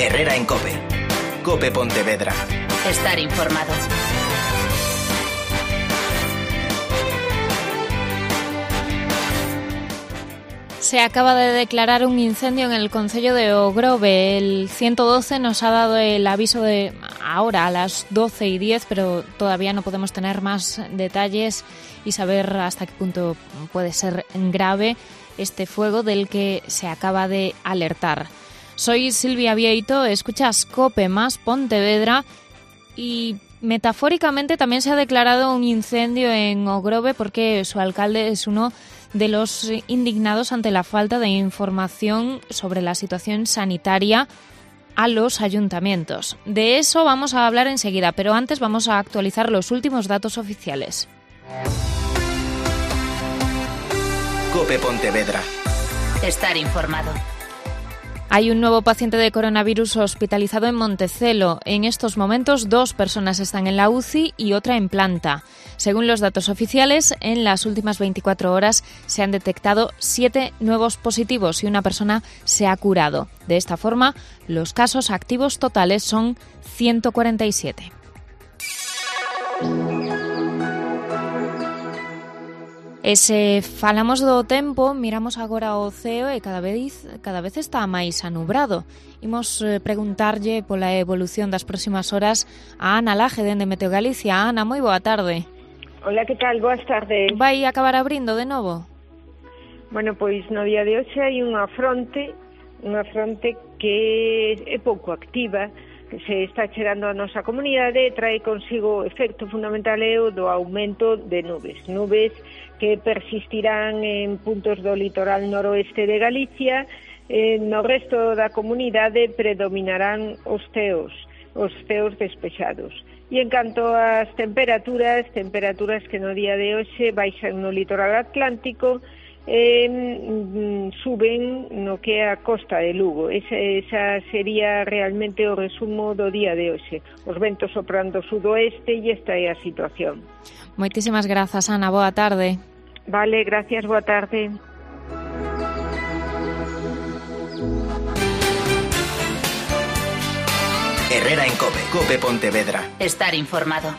Herrera en COPE. COPE Pontevedra. Estar informado. Se acaba de declarar un incendio en el concello de Ogrove. El 112 nos ha dado el aviso de ahora a las 12:10, pero todavía no podemos tener más detalles y saber hasta qué punto puede ser grave este fuego del que se acaba de alertar. Soy Silvia Vieito, escuchas COPE más Pontevedra y metafóricamente también se ha declarado un incendio en Ogrove porque su alcalde es uno de los indignados ante la falta de información sobre la situación sanitaria a los ayuntamientos. De eso vamos a hablar enseguida, pero antes vamos a actualizar los últimos datos oficiales. COPE Pontevedra. Estar informado. Hay un nuevo paciente de coronavirus hospitalizado en Montecelo. En estos momentos 2 personas están en la UCI y otra en planta. Según los datos oficiales, en las últimas 24 horas se han detectado 7 nuevos positivos y una persona se ha curado. De esta forma, los casos activos totales son 147. Falamos do tempo, miramos agora ao ceo e cada vez está máis anubrado. Imos preguntarlle pola evolución das próximas horas a Ana Laje, dende Meteo Galicia. Ana, moi boa tarde. Hola, que tal? Boas tardes. Vai acabar abrindo de novo? Bueno, pois no día de hoxe hai unha fronte que é pouco activa, que se está chegando a nosa comunidade e trae consigo o efecto fundamental do aumento de nubes que persistirán en puntos do litoral noroeste de Galicia. No resto da comunidade predominarán os ceos despexados. E en canto ás temperaturas que no día de hoxe baixan no litoral atlántico, suben no que é a costa de Lugo. Esa sería realmente o resumo do día de hoxe. Os ventos soprando sudoeste e esta é a situación. Moitísimas grazas, Ana. Boa tarde. Vale, gracias, boa tarde. Herrera en COPE. COPE Pontevedra. Estar informado.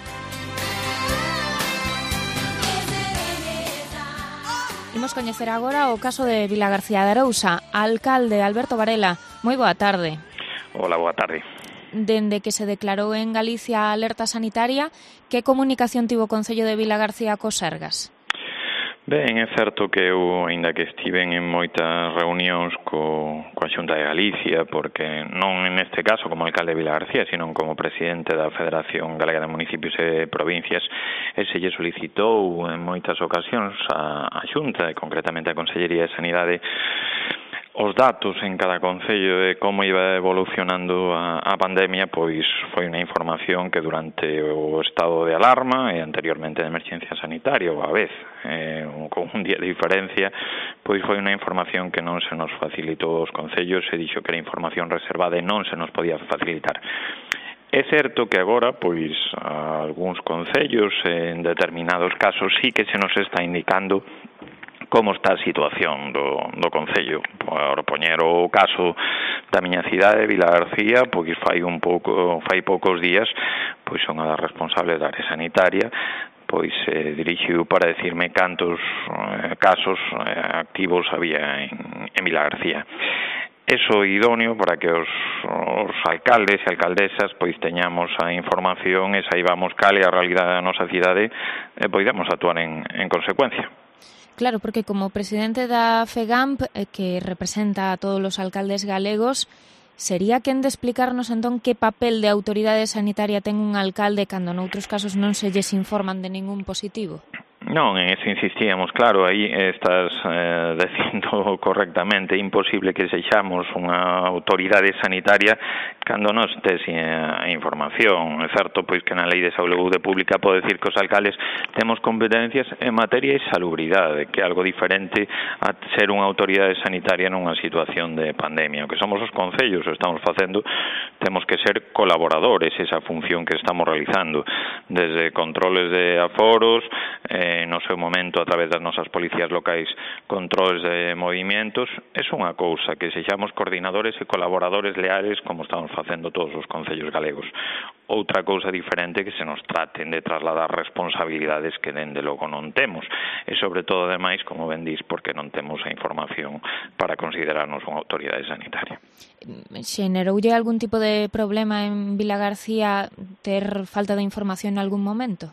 Imos coñecer agora o caso de Vilagarcía de Arousa. Alcalde Alberto Varela, moi boa tarde. Hola, boa tarde. Dende que se declarou en Galicia a alerta sanitaria, que comunicación tivo o Concello de Vilagarcía cos Sergas? Ben, é certo que eu, aínda que estiven en moitas reunións coa Xunta de Galicia, porque non neste caso como alcalde de Vilagarcía, sino como presidente da Federación Galega de Municipios e Provincias, e se lle solicitou en moitas ocasións a Xunta, e concretamente a Consellería de Sanidade, os datos en cada concello de como iba evolucionando a pandemia, pois foi unha información que durante o estado de alarma e anteriormente de emerxencia sanitaria, ou a vez, con un día de diferencia, pois foi unha información que non se nos facilitou aos concellos, se dixo que era información reservada e non se nos podía facilitar. É certo que agora, pois, algúns concellos, en determinados casos, sí que se nos está indicando como está a situación do concello. Por poñer o caso da miña cidade, Vilagarcía, pois fai poucos días, pois unha das responsables da área sanitaria, pois dirixiu para decirme cantos casos activos había en Vilagarcía. Eso é idóneo para que os alcaldes e alcaldesas pois teñamos a información e saibamos cal é a realidade da nosa cidade e poidamos actuar en consecuencia. Claro, porque como presidente da FEGAMP, que representa a todos os alcaldes galegos, sería quen de explicarnos entón que papel de autoridade sanitaria ten un alcalde cando noutros casos non se lles informan de ningún positivo? Non, en eso insistíamos, claro, aí estás dicindo correctamente, é imposible que sexamos unha autoridade sanitaria cando non tes a información. É certo, pois, que na Lei de Saúde Pública pode decir que os alcaldes temos competencias en materia de salubridade, que é algo diferente a ser unha autoridade sanitaria nunha situación de pandemia. O que somos os concellos, o estamos facendo temos que ser colaboradores esa función que estamos realizando, desde controles de aforos, no seu momento a través das nosas policías locais, controles de movimentos. É unha cousa que sexamos coordinadores e colaboradores leales como estamos facendo todos os concellos galegos. Outra cousa diferente que se nos traten de trasladar responsabilidades que dende logo non temos e sobre todo ademais, como ben dís, porque non temos a información para considerarnos unha autoridade sanitaria. Xeneroulle algún tipo de problema en Vilagarcía ter falta de información en algún momento?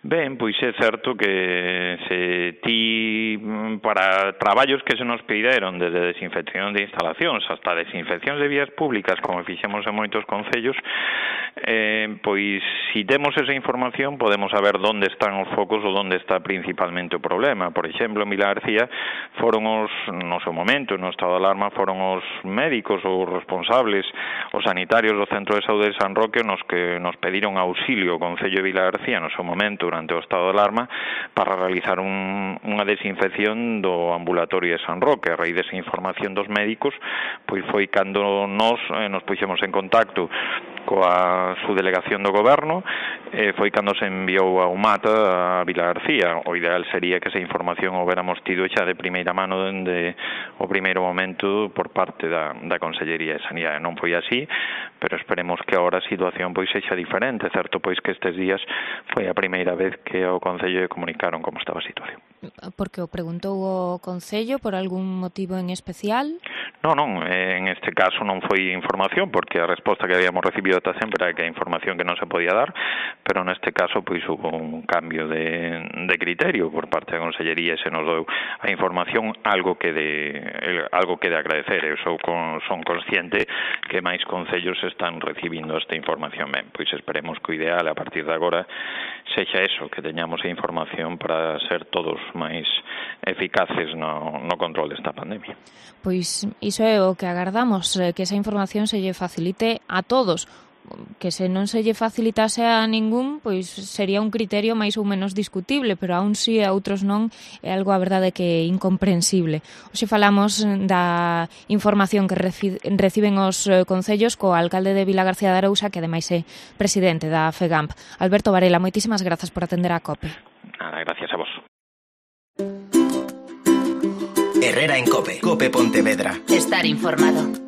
Ben, pois é certo que se ti para traballos que se nos pediron desde desinfección de instalacións hasta desinfeccións de vías públicas, como fixemos en moitos concellos, pois si temos esa información podemos saber onde están os focos ou onde está principalmente o problema. Por exemplo, en Vilagarcía foron no seu momento, no estado de alarma, foron os médicos ou responsables, os sanitarios do Centro de Saúde de San Roque nos que nos pediron auxilio ao Concello de Vilagarcía no seu momento durante o estado de alarma para realizar unha desinfección do ambulatorio de San Roque. A raíz desa información dos médicos, pois foi cando nos puxemos en contacto coa subdelegación do goberno, foi cando se enviou a UMAT a Vilagarcía. O ideal sería que esa información o hubiéramos tido xa de primeira mano dende o primeiro momento por parte da Consellería de Sanidade. Non foi así, pero esperemos que agora a situación pois sexa diferente. Certo pois que estes días foi a primeira vez que ao Concello lle comunicaron como estaba a situación. Porque o preguntou o Concello por algún motivo en especial? Non, en este caso non foi información, porque a resposta que habíamos recibido ata sempre era que a información que non se podía dar, pero neste caso pois hubo un cambio de criterio por parte da Consellería e se nos deu a información, algo que de agradecer. Eu son consciente que máis concellos están recibindo esta información. Ben, pois esperemos que o ideal a partir de agora sexa eso, que teñamos a información para ser todos máis eficaces no control desta pandemia. Pois iso é o que agardamos, que esa información se lle facilite a todos. Que se non se lle facilitase a ningún, pois sería un criterio máis ou menos discutible, pero aún si a outros non, é algo a verdade que é incomprensible. Hoxe falamos da información que reciben os concellos co alcalde de Vilagarcía de Arousa, que ademais é presidente da FEGAMP. Alberto Varela, moitísimas grazas por atender a COPE. Nada, gracias a vos. Herrera en COPE. COPE Pontevedra. Estar informado.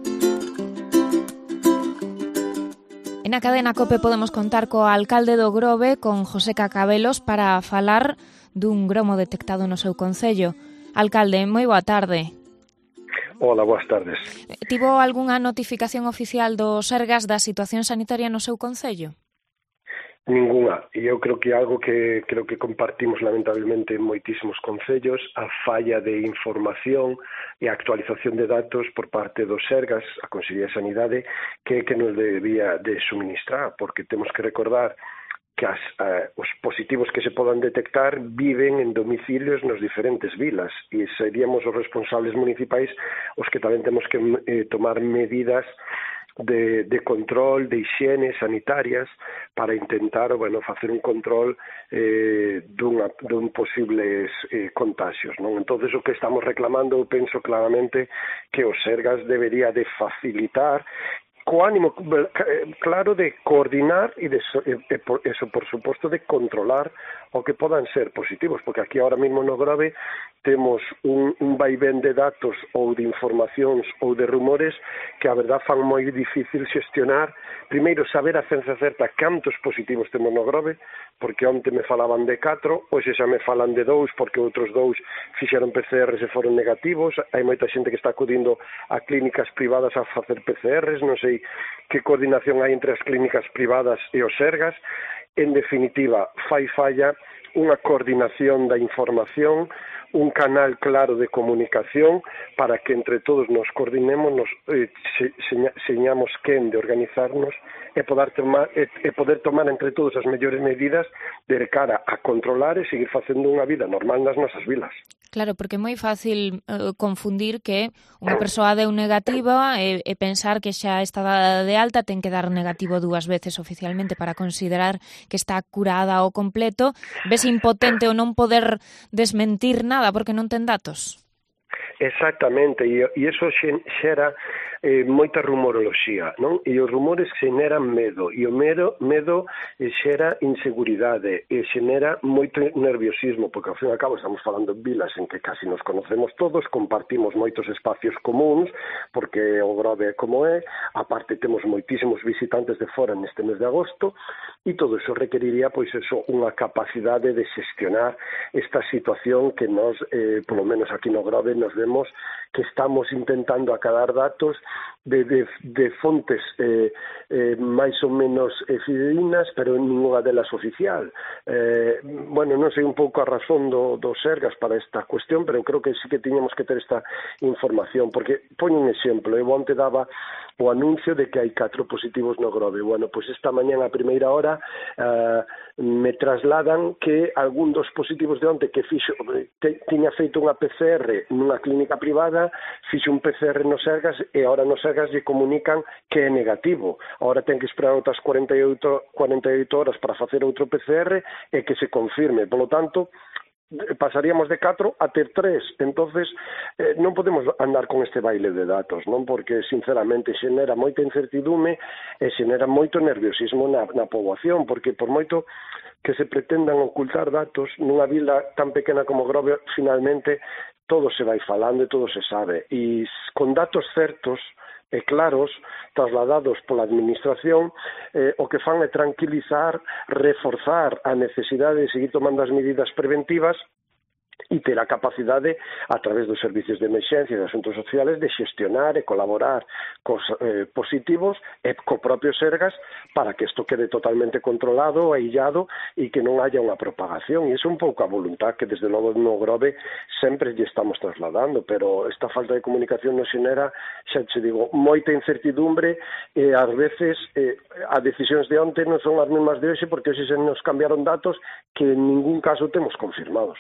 En a cadena COPE podemos contar co alcalde do Grove, con José Cacabelos, para falar dun gromo detectado no seu concello. Alcalde, moi boa tarde. Hola, boas tardes. Tivo algunha notificación oficial do Sergas da situación sanitaria no seu concello? Ninguna, e eu creo que algo que compartimos lamentablemente en moitísimos concellos, a falla de información e a actualización de datos por parte dos Sergas, a Consellería de Sanidade, que nos debía de suministrar, porque temos que recordar que os positivos que se podan detectar viven en domicilios nos diferentes vilas e seríamos os responsables municipais os que tamén temos que tomar medidas de control, de higiene sanitarias para intentar, facer un control dun posibles contagios, non? Entonces o que estamos reclamando, eu penso claramente que os Sergas debería de facilitar co ánimo claro de coordinar e eso, por suposto, de controlar o que podan ser positivos, porque aquí ahora mesmo no Grove temos un vaivén de datos ou de informacións ou de rumores que a verdad fan moi difícil xestionar. Primeiro, saber a ciencia certa cantos positivos temos no Grove, porque onte me falaban de 4, hoxe xa me falan de 2, porque outros 2 fixeron PCRs e foron negativos. Hai moita xente que está acudindo a clínicas privadas a facer PCRs, non sei que coordinación hai entre as clínicas privadas e os Sergas. En definitiva, fai falla unha coordinación da información, un canal claro de comunicación para que entre todos nos coordinemos, señamos quen de organizarnos e poder tomar entre todos as mellores medidas de cara a controlar e seguir facendo unha vida normal nas nosas vilas. Claro, porque é moi fácil confundir que unha persoa deu negativa e pensar que xa está dada de alta, ten que dar negativo 2 veces oficialmente para considerar que está curada ao completo. Ves impotente ou non poder desmentir nada porque non ten datos? Exactamente, e iso xera moita rumoroloxía, non? E os rumores xeneran medo, e o medo xera inseguridade, e xenera moito nerviosismo, porque ao fin e ao cabo estamos falando de vilas en que casi nos conocemos todos, compartimos moitos espacios comuns, porque o Grove é como é, aparte temos moitísimos visitantes de fora neste mes de agosto, e todo iso requeriría, pois eso, unha capacidade de xestionar esta situación que nos, polo menos aquí no Grove, nos vemos que estamos intentando acadar datos de fontes máis ou menos fidedignas, pero ninguna delas oficial. Bueno, non sei un pouco a razón do Sergas para esta cuestión, pero creo que sí que tiñamos que ter esta información, porque poño un exemplo, eu onte daba o anuncio de que hai 4 positivos no Grove. Bueno, pois esta mañá a primeira hora me trasladan que algún dos positivos de onte que tiña feito unha PCR nunha clínica privada, fixo un PCR no Sergas e agora no Sergas lle comunican que é negativo. Agora ten que esperar outras 48 horas para facer outro PCR e que se confirme. Por lo tanto, pasaríamos de 4 a ter 3. Entonces non podemos andar con este baile de datos, non? Porque sinceramente xenera moita incertidume e xenera moito nerviosismo na poboación, porque por moito que se pretendan ocultar datos nunha vila tan pequena como Grove, finalmente todo se vai falando e todo se sabe, e con datos certos e claros, trasladados pola administración, o que fan é tranquilizar, reforzar a necesidade de seguir tomando as medidas preventivas e ter a capacidade, a través dos servicios de emerxencia e de asuntos sociales, de xestionar e colaborar cos positivos e co propio Sergas para que isto quede totalmente controlado, aillado e que non haya unha propagación. E iso é un pouco a voluntad que desde logo no Grove sempre lle estamos trasladando, pero esta falta de comunicación nos xenera, xa te digo, moita incertidumbre e ás veces as decisións de onte non son as mesmas de hoxe, porque hoxe se nos cambiaron datos que en ningún caso temos confirmados.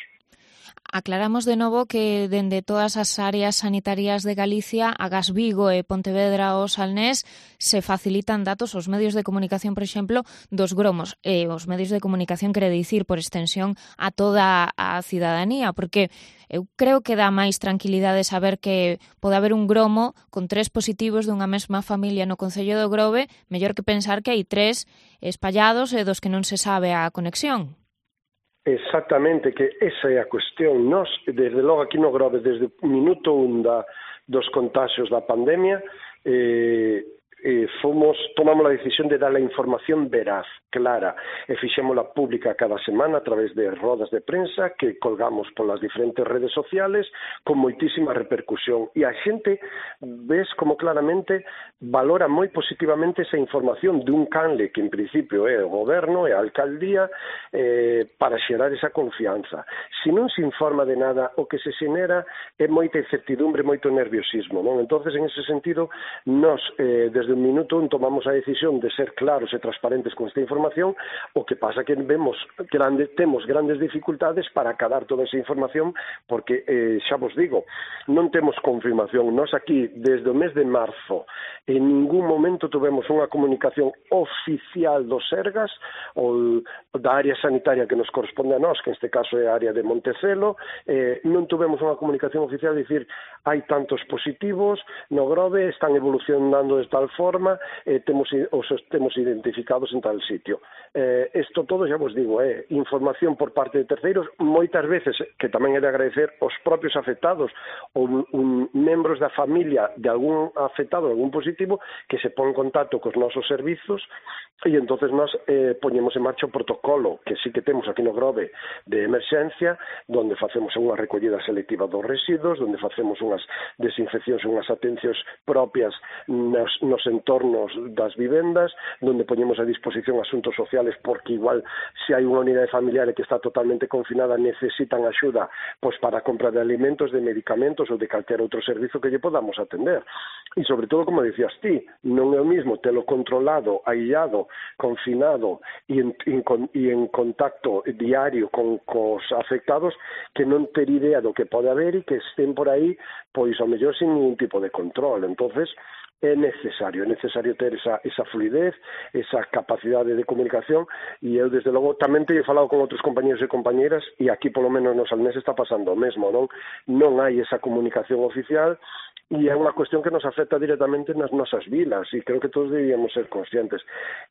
Aclaramos de novo que dende todas as áreas sanitarias de Galicia, agás Vigo e Pontevedra ou Salnés, se facilitan datos aos medios de comunicación, por exemplo, dos gromos. E os medios de comunicación quere dicir, por extensión, a toda a cidadanía, porque eu creo que dá máis tranquilidade saber que pode haber un gromo con 3 positivos dunha mesma familia no Concello do Grove, mellor que pensar que hai 3 espallados e dos que non se sabe a conexión. Exactamente, que esa é a cuestión. Nós, desde logo aquí no Grove, desde o minuto 1 dos contaxios da pandemia, tomamos a decisión de dar a información veraz, clara, e fixémola pública cada semana a través de rodas de prensa que colgamos polas diferentes redes sociales con moitísima repercusión, e a xente ves como claramente valora moi positivamente esa información dun canle que en principio é o goberno e a alcaldía para xerar esa confianza. Se non se informa de nada, o que se xenera é moita incertidumbre, moito nerviosismo, non? Entonces, en ese sentido, nós desde un minuto tomamos a decisión de ser claros e transparentes con esta información. O que pasa que temos grandes dificultades para acadar toda esa información, porque, xa vos digo, non temos confirmación. Nós aquí, desde o mes de marzo, en ningún momento tuvemos unha comunicación oficial do Sergas ou da área sanitaria que nos corresponde a nós, que neste caso é a área de Montecelo. Non tuvemos unha comunicación oficial de dicir hai tantos positivos no Grove, están evolucionando de tal forma, os temos identificados en tal sitio. Isto todo, xa vos digo, é información por parte de terceiros, moitas veces, que tamén é de agradecer aos propios afectados ou membros da familia de algún afectado, algún positivo, que se pon en contacto cos nosos servizos, e entonces nós poñemos en marcha o protocolo que sí que temos aquí no Grove de emerxencia, donde facemos unha recollida selectiva dos residuos, donde facemos unhas desinfeccións, unhas atencións propias nos entornos das vivendas, donde poñemos a disposición asuntos sociales, porque igual se hai unha unidade familiar que está totalmente confinada, necesitan axuda pois para a compra de alimentos, de medicamentos ou de calquer outro servizo que lle podamos atender. E sobre todo, como dicías ti, non é o mismo telo controlado, aillado, confinado e en contacto diario cos afectados, que non ter idea do que pode haber e que estén por aí, pois ao mellor sin ningún tipo de control. Entonces, é necesario ter esa fluidez, esa capacidade de comunicación, e eu desde logo tamén teño falado con outros compañeros e compañeiras, e aquí polo menos no Salnés está pasando o mesmo, non hai esa comunicación oficial, e é unha cuestión que nos afecta directamente nas nosas vilas, e creo que todos deberíamos ser conscientes.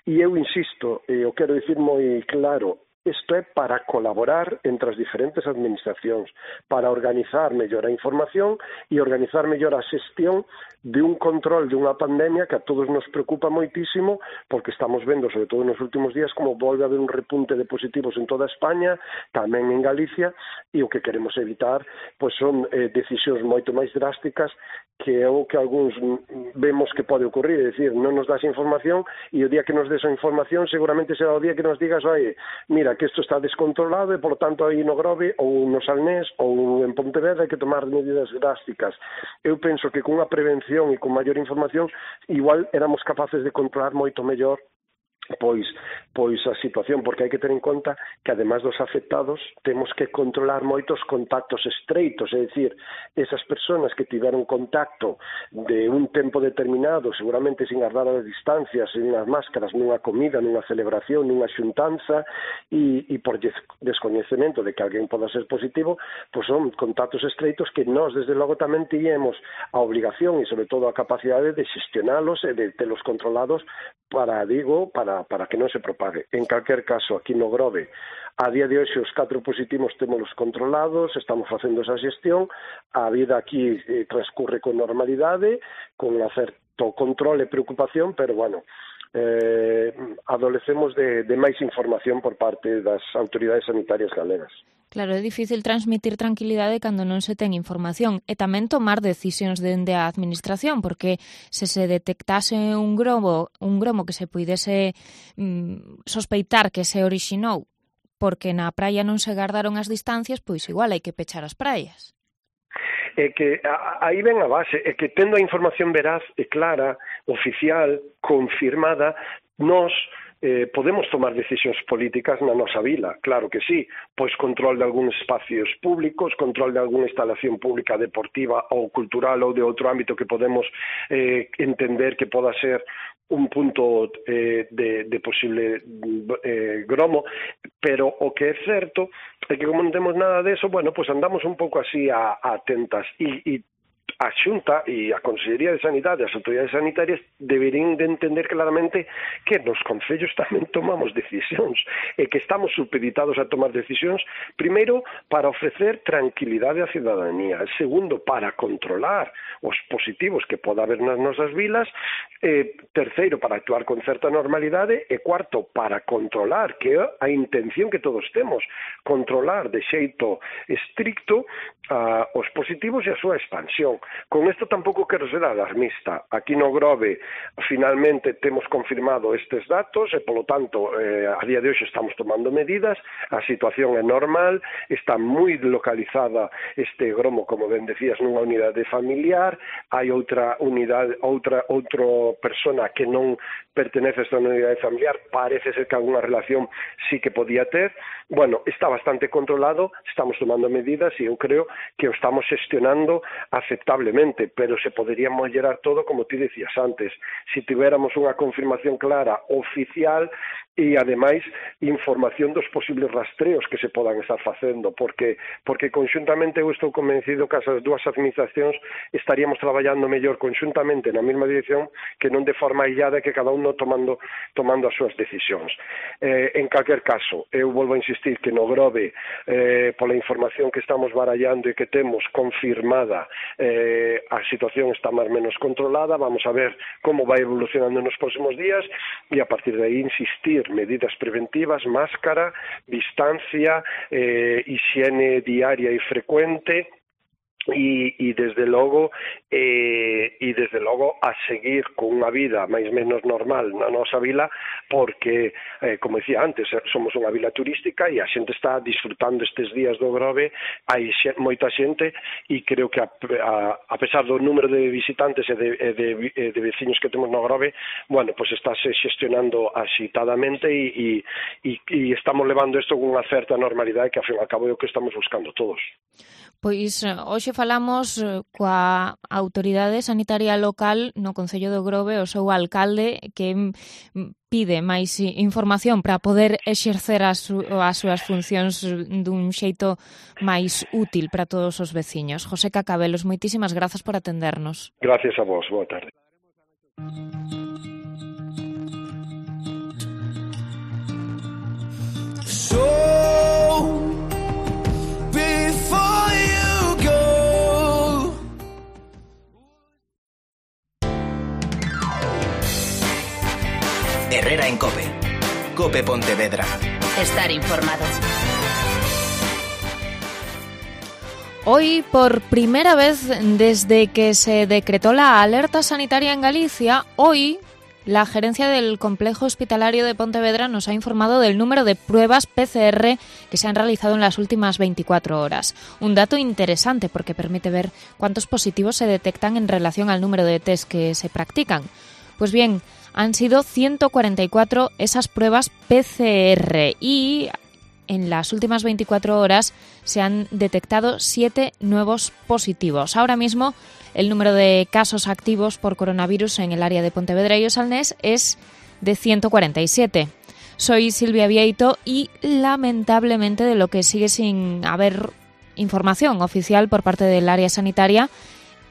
E eu insisto, e eu quero dicir moi claro, isto é para colaborar entre as diferentes administracións, para organizar mellor a información e organizar mellor a xestión de un control de unha pandemia que a todos nos preocupa moitísimo, porque estamos vendo, sobre todo nos últimos días, como volve a haber un repunte de positivos en toda España, tamén en Galicia, e o que queremos evitar pois son decisións moito máis drásticas que é o que algúns vemos que pode ocurrir, é dicir, non nos das información e o día que nos des a información seguramente será o día que nos digas, oye, mira, que isto está descontrolado e, por lo tanto, aí no Grove ou no Salnés ou en Pontevedra hai que tomar medidas drásticas. Eu penso que cunha prevención e con maior información igual éramos capaces de controlar moito mellor pois a situación, porque hai que ter en conta que ademais dos afectados temos que controlar moitos contactos estreitos, é dicir, esas persoas que tiveron contacto de un tempo determinado, seguramente sin guardar as distancias, sin unhas máscaras, nunha comida, nunha celebración, nunha xuntanza, e por descoñecemento de que alguén poda ser positivo, pois son contactos estreitos que nós desde logo tamén tiñemos a obligación e sobre todo a capacidade de xestionalos e de telos controlados para que non se propague. En calquer caso, aquí no Grove, a día de hoxe os 4 positivos témolos controlados, estamos facendo esa xestión, a vida aquí transcurre con normalidade, con un certo control e preocupación, pero, bueno, adolecemos de máis información por parte das autoridades sanitarias galegas. Claro, é difícil transmitir tranquilidade cando non se ten información e tamén tomar decisións dende a administración, porque se detectase un gromo que se puidese sospeitar que se orixinou porque na praia non se gardaron as distancias, pois igual hai que pechar as praias. É que aí ven a base, é que tendo a información veraz e clara, oficial, confirmada, nós podemos tomar decisións políticas na nosa vila, claro que sí, pois control de algúns espacios públicos, control de algunha instalación pública deportiva ou cultural ou de outro ámbito que podemos entender que poda ser un punto de posible gromo, pero o que é certo é que como non temos nada deso, bueno, pois andamos un pouco así a tentas e a Xunta e a Consellería de Sanidade, as autoridades sanitarias deberían de entender claramente que nos concellos tamén tomamos decisións e que estamos supeditados a tomar decisións, primeiro, para ofrecer tranquilidade á cidadanía, segundo, para controlar os positivos que poda haber nas nosas vilas, terceiro, para actuar con certa normalidade e cuarto, para controlar, que é a intención que todos temos, controlar de xeito estricto os positivos e a súa expansión. Con isto tampouco quero ser alarmista. Aquí no Grove finalmente temos confirmado estes datos e, polo tanto, a día de hoxe estamos tomando medidas, a situación é normal, está moi localizada este gromo, como ben decías, nunha unidade familiar, hai outra persona que non pertenece a esta unidade familiar, parece ser que alguna relación sí que podía ter. Bueno, está bastante controlado, estamos tomando medidas e eu creo que o estamos xestionando aceptablemente, pero se podería mellorar todo, como ti decías antes, se tiveramos unha confirmación clara, oficial, e, ademais, información dos posibles rastreos que se podan estar facendo, porque conxuntamente eu estou convencido que as dúas administracións estaríamos traballando mellor conxuntamente na mesma dirección que non de forma aillada, que cada uno tomando as súas decisións. En calquer caso, eu volvo a insistir que no Grove, pola información que estamos barallando e que temos confirmada, a situación está máis menos controlada, vamos a ver como vai evolucionando nos próximos días e a partir de aí insistir medidas preventivas, máscara, distancia, higiene diaria e frecuente, e desde logo a seguir con unha vida máis menos normal na nosa vila, porque como decía antes, somos unha vila turística e a xente está disfrutando estes días do Grove, hai moita xente e creo que a pesar do número de visitantes e de veciños que temos no Grove, bueno, pues estáse xestionando axitadamente e estamos levando isto con unha certa normalidade que ao fin e ao cabo é o que estamos buscando todos. Pois hoxe falamos coa autoridade sanitaria local no Concello de Ogrove, o seu alcalde, que pide máis información para poder exercer as súas funcións dun xeito máis útil para todos os veciños. José Cacabelos, moitísimas grazas por atendernos. Gracias a vos, boa tarde. Herrera en COPE. COPE Pontevedra. Estar informado. Hoy, por primera vez desde que se decretó la alerta sanitaria en Galicia, hoy la gerencia del Complejo Hospitalario de Pontevedra nos ha informado del número de pruebas PCR que se han realizado en las últimas 24 horas. Un dato interesante porque permite ver cuántos positivos se detectan en relación al número de test que se practican. Pues bien, han sido 144 esas pruebas PCR y en las últimas 24 horas se han detectado 7 nuevos positivos. Ahora mismo el número de casos activos por coronavirus en el área de Pontevedra y o Salnés es de 147. Soy Silvia Vieito y lamentablemente de lo que sigue sin haber información oficial por parte del área sanitaria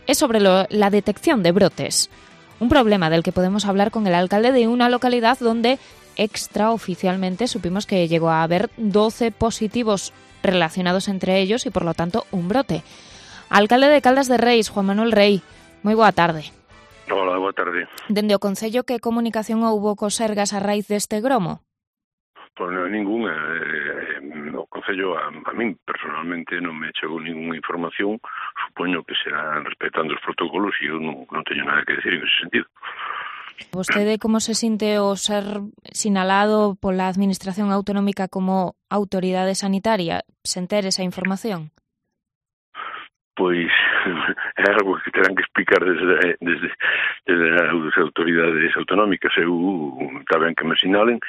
es sobre la detección de brotes. Un problema del que podemos hablar con el alcalde de una localidad donde extraoficialmente supimos que llegó a haber 12 positivos relacionados entre ellos y por lo tanto un brote. Alcalde de Caldas de Reis, Juan Manuel Rei, moi boa tarde. Hola, boa tarde. Dende o Concello, que comunicación houbo cos Sergas a raíz deste gromo? Pois non, ninguna. O Concello, a min personalmente non me chegou ninguna información. Supoño que serán respetando os protocolos e eu non teño nada que decir en ese sentido. Vostede como se sinte o ser sinalado pola Administración Autonómica como autoridade sanitaria, sen ter esa información? Pois é algo que terán que explicar desde as autoridades autonómicas. Eu está ben que me sinalen,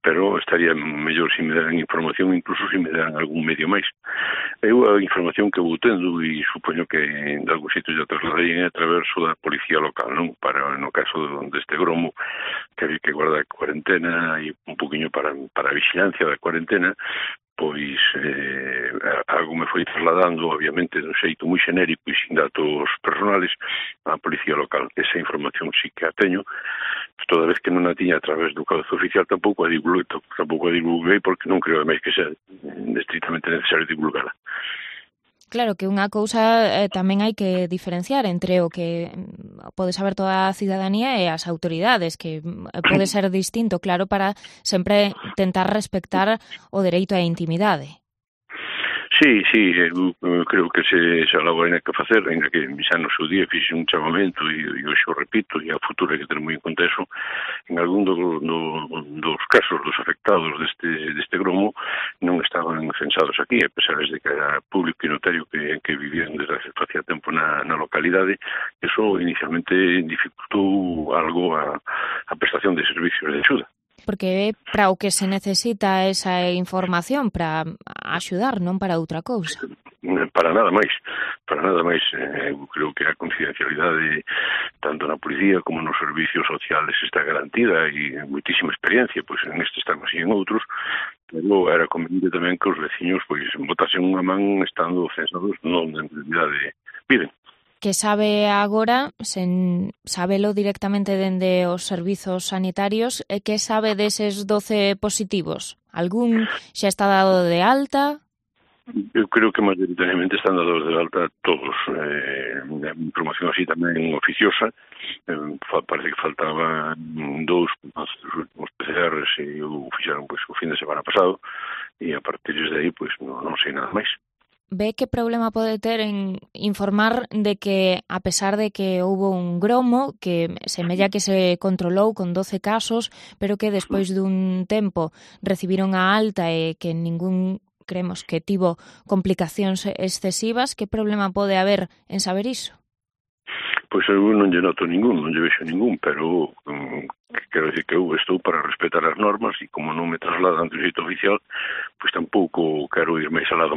pero estaría mellor se me deran información, incluso se me deran algún medio máis. Eu a información que vou tendo, e supoño que en algún sitio já trasladei a través da policía local, non? Para no caso deste gromo, que había que guardar cuarentena e un poquinho para a vigilancia da cuarentena, pois algo me foi trasladando, obviamente, de un xeito moi xenérico e sin datos personales á policía local. Esa información sí que a teño, toda vez que non a tiña a través do cabezo oficial tampouco a divulguei porque non creo máis que sea estrictamente necesario divulgala. Claro que unha cousa tamén hai que diferenciar entre o que pode saber toda a cidadanía e as autoridades, que pode ser distinto, claro, para sempre tentar respectar o dereito á intimidade. Sí, eu creo que se algo hai que facer, ainda que xa no seu día fixe un chamamento e hoxe o repito, e a futuro hai que ter moi en conta eso. En algún dos casos dos afectados deste gromo non estaban censados aquí, a pesar de que era público e notario que vivían desde hace facía tempo na localidade. Eso inicialmente dificultou algo a prestación de servicios de axuda. Porque é para o que se necesita esa información, para axudar, non para outra cousa. Para nada máis. Eu creo que a confidencialidade tanto na policía como nos servicios sociales está garantida e moitísima experiencia, pois en estes temas e en outros, pero era conveniente tamén que os veciños pois botasen unha man estando censados non en realidade viven. Que sabe agora, sen sabelo directamente dende os servizos sanitarios, e que sabe deses 12 positivos? Algún xa está dado de alta? Eu creo que mayoritariamente están dados de alta todos. Información así tamén oficiosa. Parece que faltaban 2 últimos PCRs e o fixaron pois, o fin de semana pasado e a partir de aí pois, non sei nada máis. Ve que problema pode ter en informar de que, a pesar de que houbo un gromo, que semella que se controlou con 12 casos, pero que despois dun tempo recibiron a alta e que ningún, creemos, que tivo complicacións excesivas, que problema pode haber en saber iso? Pois eu non lle noto ningún, non lle vexo ningún, pero quero dicir que eu estou para respetar as normas e como non me trasladan do xeito oficial, pois tampouco quero ir máis alá.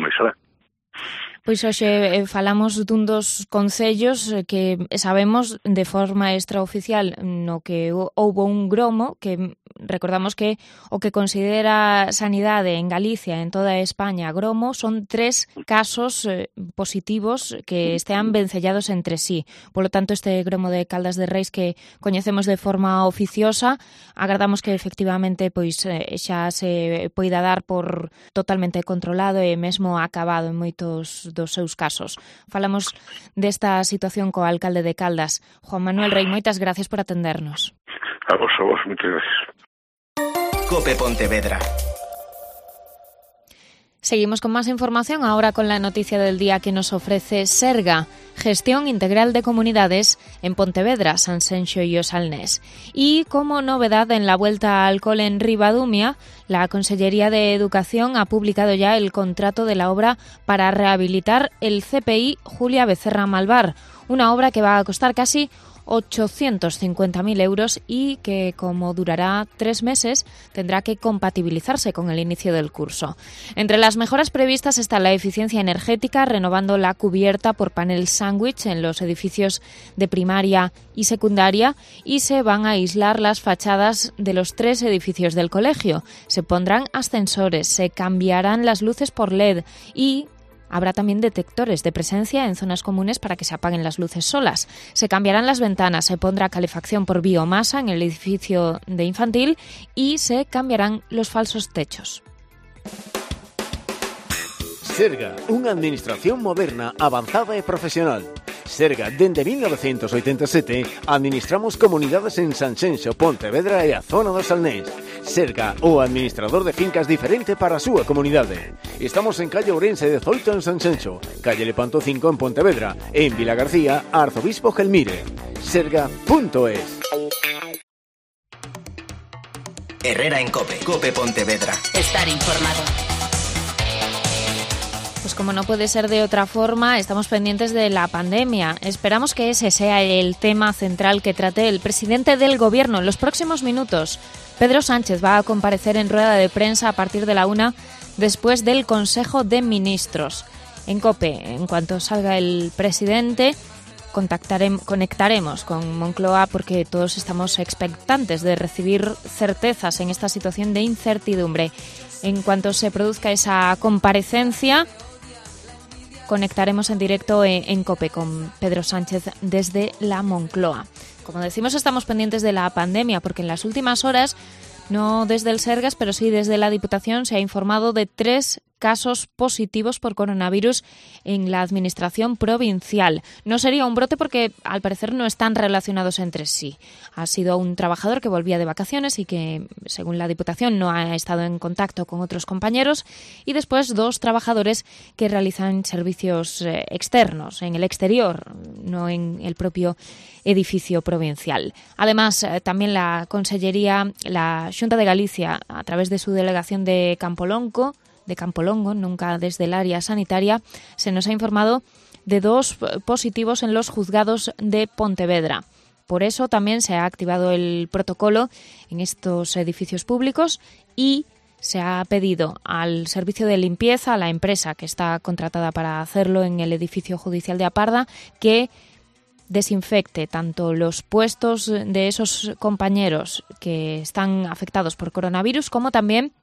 Pois hoxe falamos dun dos concellos que sabemos de forma extraoficial no que houbo un gromo que recordamos que o que considera Sanidade en Galicia, en toda España, gromo, son 3 casos positivos que estean vencellados entre sí. Polo tanto, este gromo de Caldas de Reis que coñecemos de forma oficiosa, agardamos que efectivamente pois xa se poida dar por totalmente controlado e mesmo acabado en moitos dos seus casos. Falamos desta situación co alcalde de Caldas. Juan Manuel Rei, moitas gracias por atendernos. A vos, moitas gracias. COPE Pontevedra. Seguimos con más información ahora con la noticia del día que nos ofrece Serga, Gestión Integral de Comunidades en Pontevedra, Sanxenxo y Osalnés. Y como novedad en la vuelta al cole en Ribadumia, la Consellería de Educación ha publicado ya el contrato de la obra para rehabilitar el CPI Julia Becerra Malvar, una obra que va a costar casi 850.000 euros y que, como durará 3 meses, tendrá que compatibilizarse con el inicio del curso. Entre las mejoras previstas está la eficiencia energética, renovando la cubierta por panel sándwich en los edificios de primaria y secundaria, y se van a aislar las fachadas de los 3 edificios del colegio. Se pondrán ascensores, se cambiarán las luces por LED y habrá también detectores de presencia en zonas comunes para que se apaguen las luces solas. Se cambiarán las ventanas, se pondrá calefacción por biomasa en el edificio de infantil y se cambiarán los falsos techos. Serga, unha administración moderna, avanzada e profesional. Serga, dende 1987, administramos comunidades en Sanxenxo, Pontevedra e a zona do Salnés. Serga, o administrador de fincas diferente para a súa comunidade. Estamos en calle Ourense 18 en Sanxenxo, calle Lepanto 5 en Pontevedra e en Vilagarcía, Arzobispo Gelmire. Serga.es. Herrera en COPE. COPE Pontevedra. Estar informado. Pues como no puede ser de otra forma, estamos pendientes de la pandemia. Esperamos que ese sea el tema central que trate el presidente del Gobierno en los próximos minutos. Pedro Sánchez va a comparecer en rueda de prensa a partir de la 1 después del Consejo de Ministros. En COPE, en cuanto salga el presidente, conectaremos con Moncloa porque todos estamos expectantes de recibir certezas en esta situación de incertidumbre. En cuanto se produzca esa comparecencia, conectaremos en directo en COPE con Pedro Sánchez desde la Moncloa. Como decimos, estamos pendientes de la pandemia porque en las últimas horas, no desde el Sergas, pero sí desde la Diputación, se ha informado de 3 casos positivos por coronavirus en la administración provincial. No sería un brote porque al parecer no están relacionados entre sí. Ha sido un trabajador que volvía de vacaciones y que, según la Diputación, no ha estado en contacto con otros compañeros, y después 2 trabajadores que realizan servicios externos, en el exterior, no en el propio edificio provincial. Además, también la Consellería, la Xunta de Galicia, a través de su delegación de Campolongo, nunca desde el área sanitaria, se nos ha informado de 2 positivos en los juzgados de Pontevedra. Por eso también se ha activado el protocolo en estos edificios públicos y se ha pedido al servicio de limpieza, a la empresa que está contratada para hacerlo en el edificio judicial de Aparda, que desinfecte tanto los puestos de esos compañeros que están afectados por coronavirus como también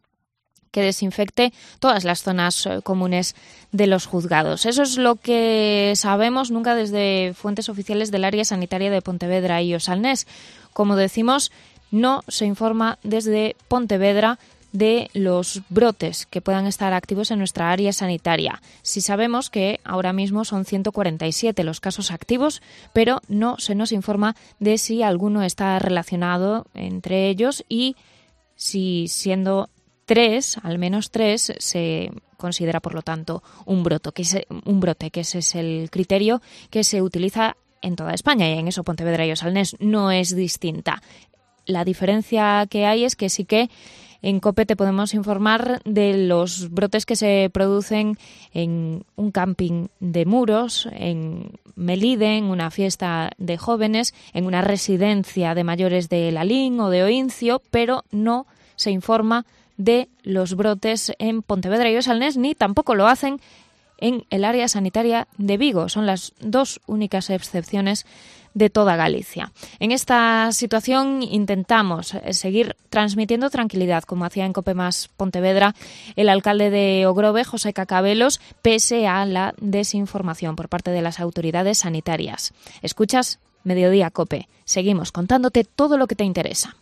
que desinfecte todas las zonas comunes de los juzgados. Eso es lo que sabemos, nunca desde fuentes oficiales del área sanitaria de Pontevedra y Osalnés. Como decimos, no se informa desde Pontevedra de los brotes que puedan estar activos en nuestra área sanitaria. Sí sabemos que ahora mismo son 147 los casos activos, pero no se nos informa de si alguno está relacionado entre ellos y si, siendo 3, al menos 3, se considera, por lo tanto, un brote, que ese es el criterio que se utiliza en toda España, y en eso Pontevedra y Osalnés no es distinta. La diferencia que hay es que sí que en COPE te podemos informar de los brotes que se producen en un camping de Muros, en Melide, en una fiesta de jóvenes, en una residencia de mayores de Lalín o de Oincio, pero no se informa de los brotes en Pontevedra y Osalnés, ni tampoco lo hacen en el área sanitaria de Vigo. Son las 2 únicas excepciones de toda Galicia. En esta situación intentamos seguir transmitiendo tranquilidad, como hacía en COPE Más Pontevedra el alcalde de Ogrove, José Cacabelos, pese a la desinformación por parte de las autoridades sanitarias. Escuchas Mediodía COPE. Seguimos contándote todo lo que te interesa.